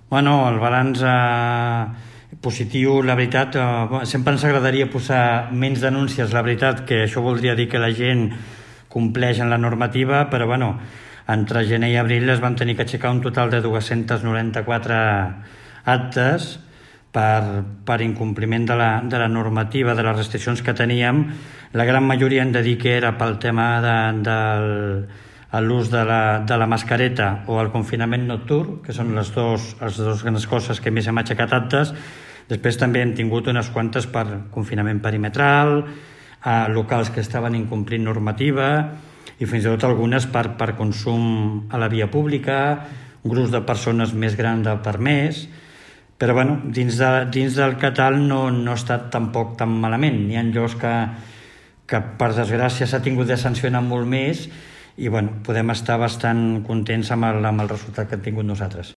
Bueno, el balanç positiu, la veritat, sempre ens agradaria posar menys denúncies, la veritat, que això voldria dir que la gent compleix en la normativa, però bueno, entre gener i abril es van tenir que aixecar un total de 294 actes per incompliment de la normativa, de les restriccions que teníem. La gran majoria hem de dir que era pel tema de l'ús de la mascareta o el confinament nocturn, que són les dues grans coses que més hem aixecat actes. Després també hem tingut unes quantes per confinament perimetral, locals que estaven incomplint normativa i fins i tot algunes per consum a la via pública, grups de persones més grans del permès. Però bueno, dins del catal no ha estat tampoc tan malament. Hi ha llocs que per desgràcia s'ha tingut de sancionar molt més i bueno, podem estar bastant contents amb el resultat que hem tingut nosaltres.